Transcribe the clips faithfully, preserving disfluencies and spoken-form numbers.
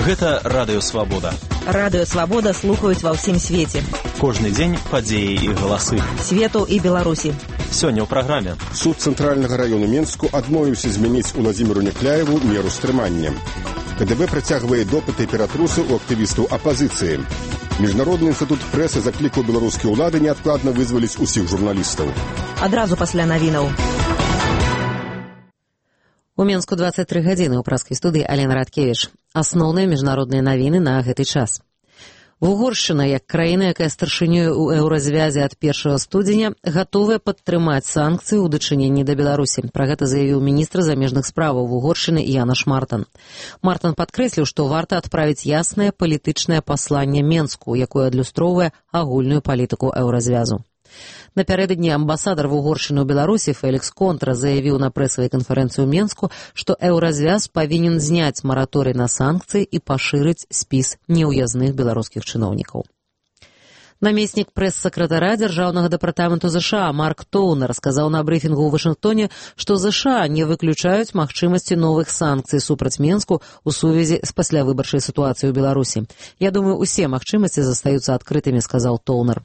Гэта Радыё Свабода. Радыё Свабода слухаюць ва ўсім свеце. Кожны дзень падзеі і галасы. Свету і Беларусі. Сёння ў праграме. Суд цэнтральнага раёну Менску адмовіўся змяніць Уладзіміру Някляеву меру стрымання. КДБ працягвае допыты ператрусы ў актывістаў апазіцыі. Міжнародны інстытут прэсы заклікаў беларускія ўлады неадкладна вызваліць усіх журналістаў. Адразу пасля навінаў. У Менску дваццаць тры гадзіны ў праскай студыі Алена Радкевіч. Асноўныя міжнародныя навіны на гэты час. Угоршчына, як краіна, якая старшынёй у еўразвязе ад першага студзеня, гатовая падтрымаць санкцыі ў дачыненні да Беларусі. Пра гэта заявіў міністр замежных справаў Угоршчыны Янаш Мартан. Мартан падкрэсліў, што варта адправіць яснае палітычнае пасланне Менску, якое адлюстроўвае агульную палітыку еўразвязу. Напярэдадні амбасадар Угоршчыны ў Беларусі Фелікс Контра заявіў на прэсавай канферэнцыі ў Менску, што еўразвяз павінен зняць мараторый на санкцыі і пашырыць спіс неўязных беларускіх чыноўнікаў. Намеснік прэс-сакратара дзяржаўнага дэпартаменту ЗША Марк Тоунер сказаў на брыфінгу ў Вашынгтоне, што ЗША не выключаюць магчымасці новых санкцый супраць Менску ў сувязі з паслявыбарчай сітуацыяй у Беларусі. Я думаю, усе магчымасці застаюцца адкрытымі, сказаў Тоунер.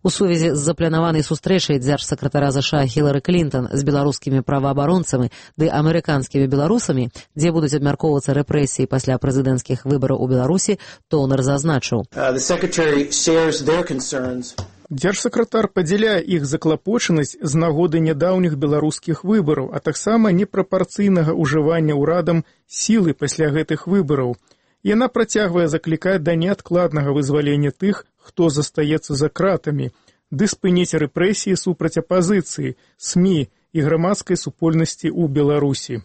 У сувязі з запланаванай сустрэчай дзяржсакратара ЗША Хілары Клінтон з беларускімі праваабаронцамі ды амерыканскімі беларусамі, дзе будуць абмяркоўвацца рэпрэсіі пасля прэзідэнцкіх выбараў у Беларусі, Тоунер зазначыў. Дзяржсакратар падзяляе іх заклапочанасць з нагоды нядаўніх беларускіх выбараў, а таксама непрапарцыйнага ўжывання ўрадам сілы пасля гэтых выбараў. Яна працягвае заклікаць да неадкладнага вызвалення тых, хто застаецца за кратамі, ды спыніць рэпрэсіі супраць апазіцыі, СМІ і грамадскай супольнасці ў Беларусі.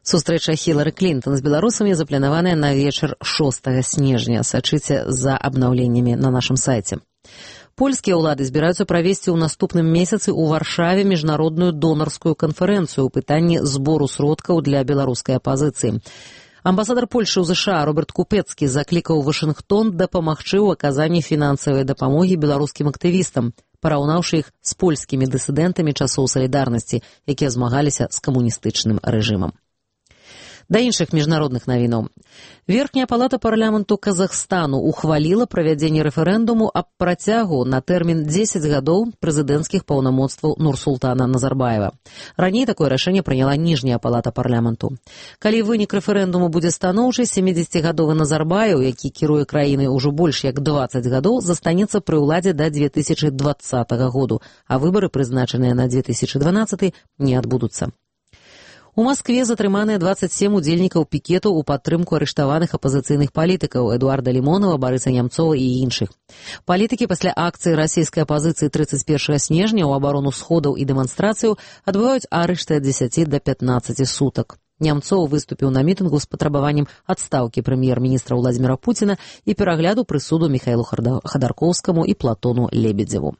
Сустрэча Хілары Клінтон з беларусамі запланаваная на вечар шостага снежня. Сачыце за абнаўленнямі на нашым сайце. Польскія ўлады збіраюцца правесці ў наступным месяцы ў Варшаве міжнародную донарскую канферэнцыю ў пытанні збору сродкаў для беларускай апазіцыі. Амбасадар Польшы ў ЗША Роберт Купецкі заклікаў Вашынгтон дапамагчы ў аказанні фінансавай дапамогі беларускім актывістам, параўнаўшы іх з польскімі дысідэнтамі часоў салідарнасці, якія змагаліся з камуністычным рэжымам. Да іншых міжнародных навінаў. Верхняя палата парламенту Казахстану ухваліла правядзенне рэферэндуму аб працягу на тэрмін дзесяць гадоў прэзідэнцкіх паўнамоцтваў Нурсултана Назарбаева. Раней такое рашэнне прыняла ніжняя палата парламенту. Калі вынік рэферэндуму будзе станоўчы, сямідзесяцігадовы Назарбаев, які кіруе краінай ужо больш як дваццаць гадоў, застанецца пры ўладзе да дзве тысячы дваццатага году, а выбары, прызначаныя на дзве тысячы дванаццаты, не адбудуцца. У Маскве затрыманыя дваццаць сем удзельнікаў пікетаў у падтрымку арыштаваных апазіцыйных палітыкаў Эдуарда Лімонава, Барыса Нямцова і іншых. Палітыкі пасля акцыі расійскай апазіцыі трыццаць першага снежня ў абарону сходаў і дэманстрацыю адбываюць арышты ад дзесяці да пятнаццаці сутак. Нямцоў выступіў на мітынгу з патрабаваннем адстаўкі прэм'ер-міністра Владзіміра Пуціна і перагляду прысуду Міхаілу Хадаркоўскаму і Платону Лебедзеву.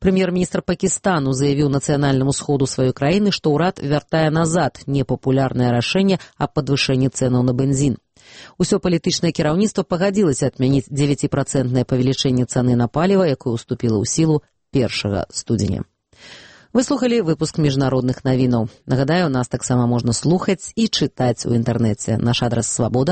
Прэм'ер-міністр Пакістану заявіў нацыянальнаму сходу сваёй краіны, што ўрад вяртае назад непапулярнае рашэнне аб падвышэнні цэнаў на бензін. Усё палітычнае кіраўніцтва пагадзілася адмяніць дзевяціпрацэнтнае павелічэнне цаны на паліва, якое ўступіла ў сілу першага студзеня. Вы слухалі выпуск міжнародных навінаў. Нагадаю, нас таксама можна слухаць і чытаць у інтэрнэце. Наш адрас свабода